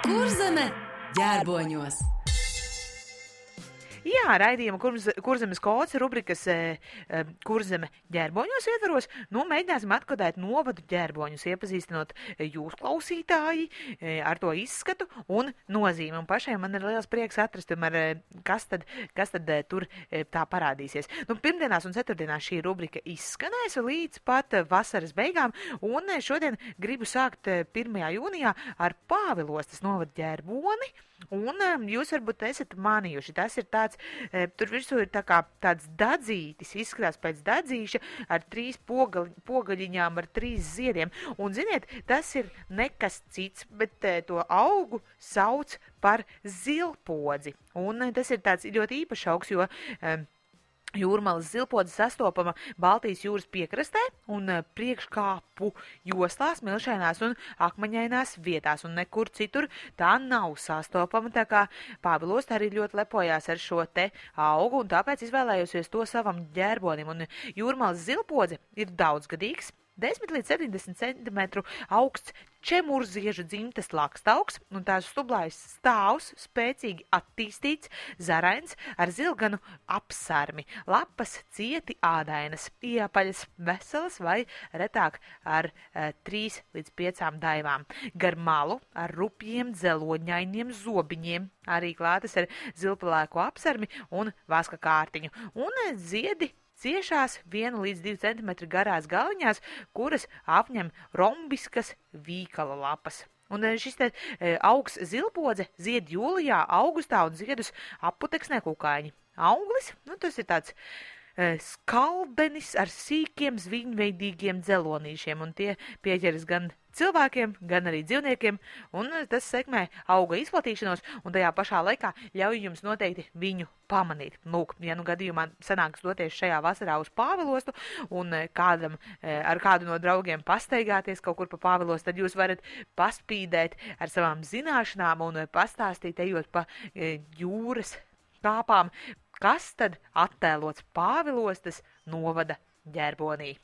Kurzeme ģērboņos. Jā, raidījuma Kurzemes kods rubrikas Kurzeme ģērboņos ietvaros. Mēģināsim atkodēt novadu ģērboņus, iepazīstinot jūs klausītāji ar to izskatu un nozīmi. Un pašiem man ir liels prieks atrast, kas tad tur tā parādīsies. Pirmdienās un ceturtdienās šī rubrika izskanēs līdz pat vasaras beigām. Un šodien gribu sākt 1. jūnijā ar Pāvilostas novadu ģērboni. Un jūs varbūt esat manījuši, tas ir tāds, tur virsū ir tāds dadzītis, izskatās pēc dadzīša ar 3 pogaļiņām, ar 3 ziediem. Un, ziniet, tas ir nekas cits, bet to augu sauc par zilpodzi. Un tas ir tāds ļoti īpašs augs, jo Jūrmalas zilpodze sastopama Baltijas jūras piekrastē un priekškāpu joslās, milšainās un akmeņainās vietās, un nekur citur tā nav sastopama, tā kā Pāvilostā arī ļoti lepojās ar šo te augu, un tāpēc izvēlējosies to savam ģērbonim. Un Jūrmalas zilpodze ir daudzgadīgs, 10 līdz 70 centimetru augsts čemurziežu dzimtes lakstaugs, un tās stublājas stāvs, spēcīgi attīstīts, zarains ar zilganu apsarmi, lapas cieti ādainas, iepaļas veselas vai retāk ar 3 līdz 5 daivām. Gar malu ar rupjiem dzeloņainiem zobiņiem, arī klātas ar zilpalēko apsarmi un vaska kārtiņu, un ziedi ciešās 1 līdz 2 centimetri garās galiņās, kuras apņem rombiskas vīkala lapas. Un šis te augs zilpodze zied jūlijā, augustā un ziedus apputeksnē kukaiņi. Auglis, tas ir tāds skaldenis ar sīkiem zviņveidīgiem dzelonīšiem, un tie pieķeras gan cilvēkiem, gan arī dzīvniekiem, un tas sekmē auga izplatīšanos, un tajā pašā laikā ļauj jums noteikti viņu pamanīt. Ja gadījumā sanāks doties šajā vasarā uz Pāvilostu, un ar kādu no draugiem pastaigāties kaut kur pa Pāvilostu, tad jūs varat paspīdēt ar savām zināšanām un pastāstīt, ejot pa jūras kāpām, kas tad attēlots Pāvilostas novada ģērbonī.